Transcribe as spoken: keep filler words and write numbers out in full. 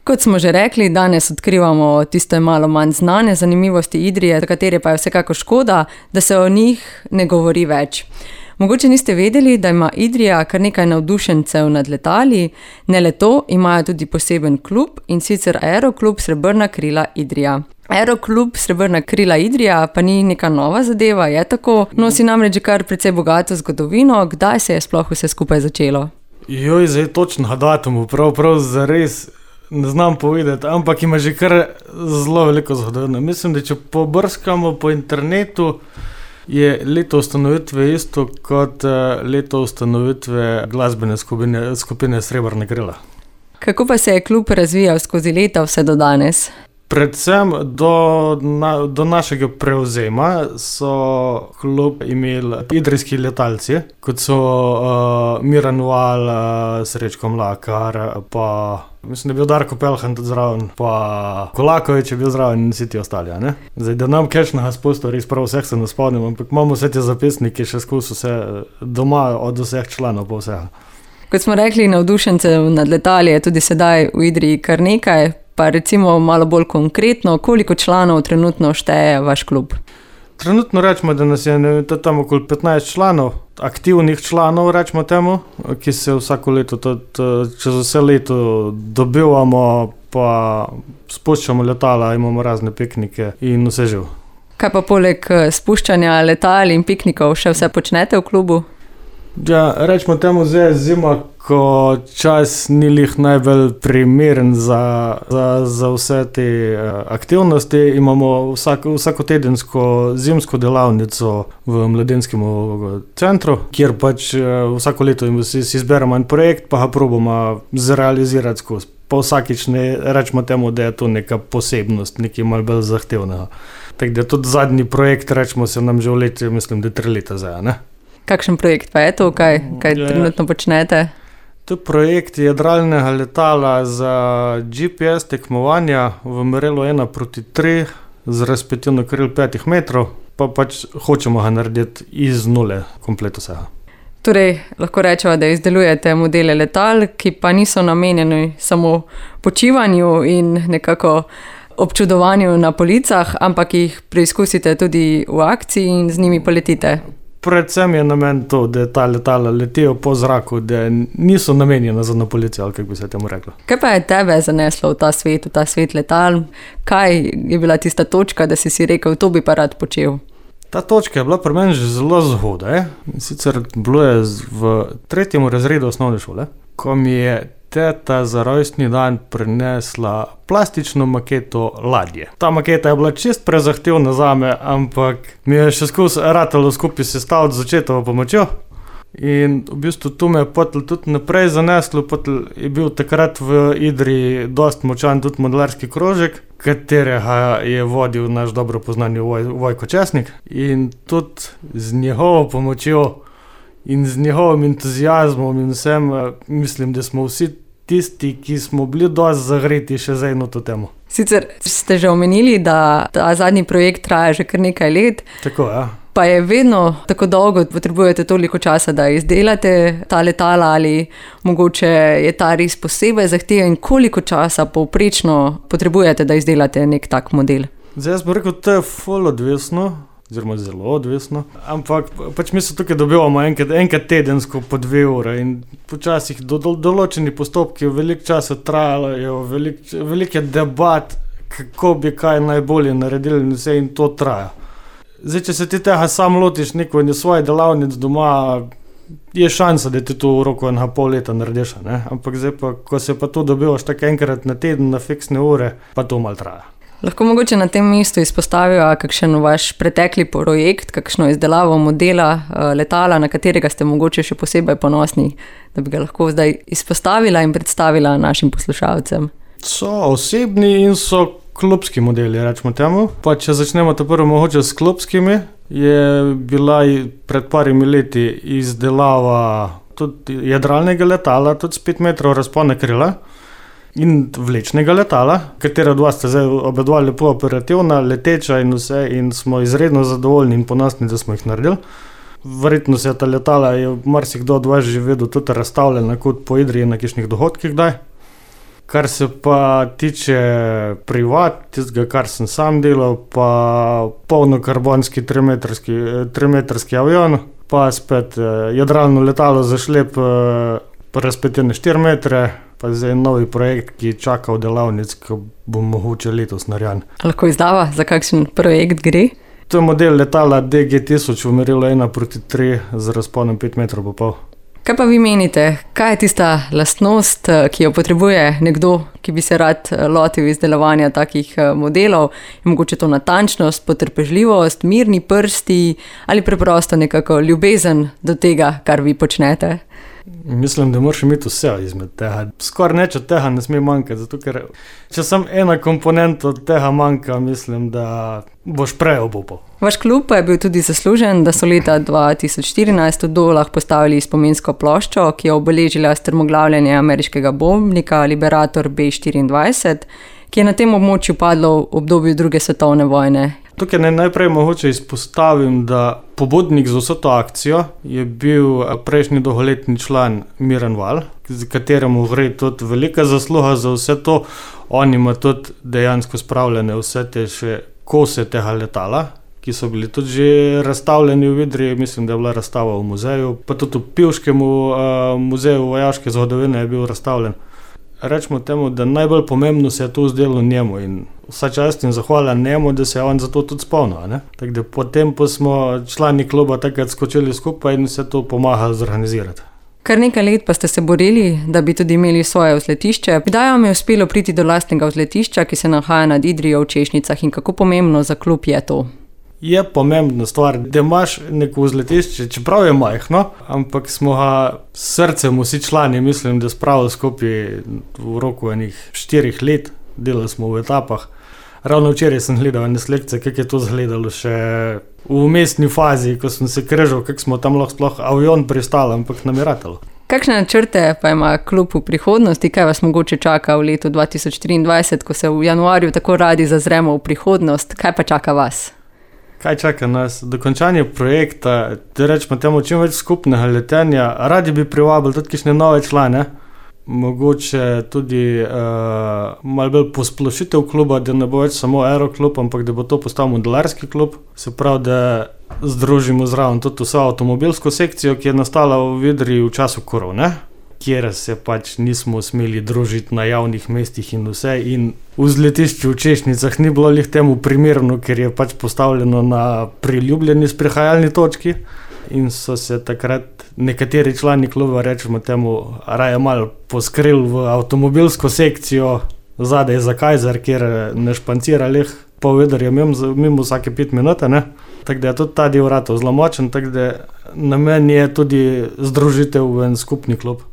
Kot smo že rekli, danes odkrivamo tiste malo manj znane zanimivosti Idrije, za katere pa je vsekako škoda, da se o njih ne govori več. Mogoče niste vedeli, da ima Idrija kar nekaj navdušencev nad letali, ne le to, imajo tudi poseben klub, in sicer Aeroklub Srebrna krila Idrija. Aeroklub Srebrna krila Idrija pa ni neka nova zadeva, je tako, nosi namreč že kar precej bogato zgodovino. Kdaj se je sploh vse skupaj začelo? Joj, zdaj točno datumu, prav, prav zares ne znam povedati, ampak ima že kar zelo veliko zgodovino. Mislim, da če pobrskamo po internetu, je leto ustanovitve isto kot leto ustanovitve glasbene skupine, skupine Srebrna krila. Kako pa se je klub razvijal skozi leta vse do danes? Predvsem do, na, do našega prevzema so klub imeli idrijski letalci, kot so uh, Miran Val, uh, Srečko Mlakar, pa mislim, da je bil Darko Pelhan tudi zraven, pa Kolakovič je bil zraven in vsi ti ostali. Ne? Zdaj, da nam kakšnega spustov res prav vseh se ne spomnim, ampak imamo vse te zapisnike še skozi vse doma od vseh članov pa vsega. Kot smo rekli, navdušencev nad letali je tudi sedaj v Idriji kar nekaj. Pa recimo malo bolj konkretno, koliko članov trenutno šteje vaš klub? Trenutno rečemo, da nas je tam okoli petnajst članov, aktivnih članov rečemo temu, ki se vsako leto, tudi, čez vse leto dobivamo, pa spuščamo letala, imamo razne piknike in vse živ. Kaj pa poleg spuščanja letal in piknikov še vse počnete v klubu? Ja, rečemo temu zdaj zima, ko čas ni lih najbolj primeren za, za, za vse te aktivnosti. Imamo vsak, vsakotedensko zimsko delavnico v mladenskem centru, kjer pač vsako leto si, si izberemo en projekt, pa ga probamo zrealizirati skozi. Pa vsakič ne rečemo temu, da je to neka posebnost, nekaj malo bolj zahtevnega. Tako da tudi zadnji projekt, rečemo, se nam že v leti, mislim, da tri leta zdaj, ne? Kakšen projekt pa je to, kaj, kaj je, trenutno počnete? To je projekt jadralnega letala za G P S tekmovanja v merilu ena proti tri z razpetilno kril petih metrov, pa pač hočemo ga narediti iz nule, komplet vsega. Torej, lahko rečemo, da izdelujete modele letal, ki pa niso namenjeni samo počivanju in nekako občudovanju na policah, ampak jih preizkusite tudi v akciji in z njimi poletite. Predvsem je namen to, da ta letala letijo po zraku, da niso namenjena za na policijo, ali kako bi se temu reklo. Kaj pa je tebe zaneslo v ta svet, v ta svet letal? Kaj je bila tista točka, da si si rekel, to bi pa rad počel? Ta točka je bila pri meni že zelo zgodaj. Sicer bilo je v tretjem razredu osnovne šole, ko mi je teta za rojstni dan prinesla plastično maketo ladje. Ta maketa je bila čist prezahtevna zame, ampak mi je še skozi ratalo skupaj sestaviti z očetovo pomočjo. In v bistvu tu me je potem tudi naprej zaneslo, potem je bil takrat v Idriji dost močan tudi modelarski krožek, katerega je vodil naš dobro poznani Voj, Vojko Česnik. In tudi z njegovo pomočjo in z njegovim entuzijazmom in vsem, mislim, da smo vsi tisti, ki smo bili dosti zagreti še za eno to temo. Sicer ste že omenili, da ta zadnji projekt traja že kar nekaj let. Tako, ja. Pa je vedno tako dolgo, potrebujete toliko časa, da izdelate ta letala, ali mogoče je ta res posebej zahteven, koliko časa povprečno potrebujete, da izdelate nek tak model? Zdaj jaz bi rekel, to je ful odvisno, oziroma zelo odvisno, ampak pač mi se tukaj dobivamo enkrat, enkrat tedensko po dve ure in počasih do, do, določeni postopki veliko časa trajajo, veliko velik je debat, kako bi kaj najbolje naredili in vse, in to traja. Zdaj, če se ti tega sam lotiš neko in je svoje delavnic doma, je šansa, da ti to v roku enega pol leta narediš, ne? Ampak zdaj pa, ko se pa to dobivaš tako enkrat na teden, na fiksne ure, pa to malo traja. Lahko mogoče na tem mestu izpostavijo kakšen vaš pretekli projekt, kakšno izdelavo modela letala, na katerega ste mogoče še posebej ponosni, da bi ga lahko zdaj izpostavila in predstavila našim poslušalcem. So osebni in so klubski modeli, rečemo temu. Pa če začnemo to prvo mogoče s klubskimi, je bila pred parimi leti izdelava tudi jadralnega letala, tudi s pet metrov razpona krila in vlečnega letala, katera dva sta zdaj obedva lepo operativna, leteča in vse, in smo izredno zadovoljni in ponosni, da smo jih naredili. Verjetno se ta letala je marsikdo od vas že vedel tudi razstavljena kot po Idriji na kakšnih dogodkih kdaj. Kar se pa tiče privat, tistega, kar sem sam delal, pa polnokarbonski trimetrski, trimetrski avion, pa spet jadralno letalo za šlep razpetene štiri metre, pa zdaj novi projekt, ki čaka v delavnic, ki bo mogoče letos narejen. Lahko izdava, za kakšen projekt gre? To je model letala D G tisoč v merilu ena proti tri z razponom pet metrov pa pol. Kaj pa vi menite, kaj je tista lastnost, ki jo potrebuje nekdo, ki bi se rad lotil izdelovanja takih modelov? Je mogoče to natančnost, potrpežljivost, mirni prsti ali preprosto nekako ljubezen do tega, kar vi počnete? Mislim, da moraš imeti vse izmed tega. Skoraj nič od tega ne sme manjkati, zato ker če sem ena komponenta od tega manjka, mislim, da boš prej obupal. Vaš klub pa je bil tudi zaslužen, da so leta dva tisoč štirinajst v Dolah postavili spominsko ploščo, ki je obeležila strmoglavljanje ameriškega bombnika Liberator B štiriindvajset, ki je na tem območju padlo v obdobju druge svetovne vojne. Tukaj ne najprej mogoče izpostavim, da pobudnik za vso to akcijo je bil prejšnji dolgoletni član Miran Val, z kateremu gre tudi velika zasluga za vse to. On ima tudi dejansko spravljene vse te še kose tega letala, ki so bili tudi že razstavljeni v Idriji, mislim, da je bila razstava v muzeju, pa tudi v Pivškem uh, muzeju vojaške zgodovine je bil razstavljen. Rečemo temu, da najbolj pomembno se je to zdelo njemu in vsa čast in zahvala njemu, da se je on za to tudi spomnil. Ne? Tako da potem pa smo člani kluba takrat skočili skupaj in se to pomagali zorganizirati. Kar nekaj let pa ste se borili, da bi tudi imeli svoje vzletišče. Kdaj vam je uspelo priti do lastnega vzletišča, ki se nahaja nad Idrijo v Češnicah in kako pomembno za klub je to? Je pomembna stvar, da imaš neko vzletišče, čeprav je majhno, ampak smo ga s srcem vsi člani, mislim, da spravili skupaj v roku enih štirih let, delali smo v etapah. Ravno včeraj sem gledal ene selekcije, kako je to izgledalo še v vmesni fazi, ko sem se križal, kako smo tam lahko sploh avion pristali, ampak nam je ratalo. Kakšne načrte pa ima klub v prihodnosti, kaj vas mogoče čaka v letu dva tisoč triindvajset, ko se v januarju tako radi zazremo v prihodnost, kaj pa čaka vas? Kaj čaka nas? Dokončanje projekta, da rečemo temu čim več skupnega letenja, radi bi privabili tudi kakšne nove člane, mogoče tudi uh, malo bolj posplošitev kluba, da ne bo več samo aeroklub, ampak da bo to postal modelarski klub, se pravi, da združimo zraven tudi vso avtomobilsko sekcijo, ki je nastala v Idriji v času korone, kjer se pač nismo smeli družiti na javnih mestih in vse in v vzletišču v Češnicah ni bilo lih temu primerno, ker je pač postavljeno na priljubljeni sprehajalni točki in so se takrat nekateri člani kluba, rečemo temu, raje malo poskrili v avtomobilsko sekcijo zadaj za Kajzer, kjer ne špancira lih pol vedrja mimo, mimo vsake pet minute, ne? Tako da je tudi ta del ratov zelo močen, tako da namen je tudi združitev v en skupni klub.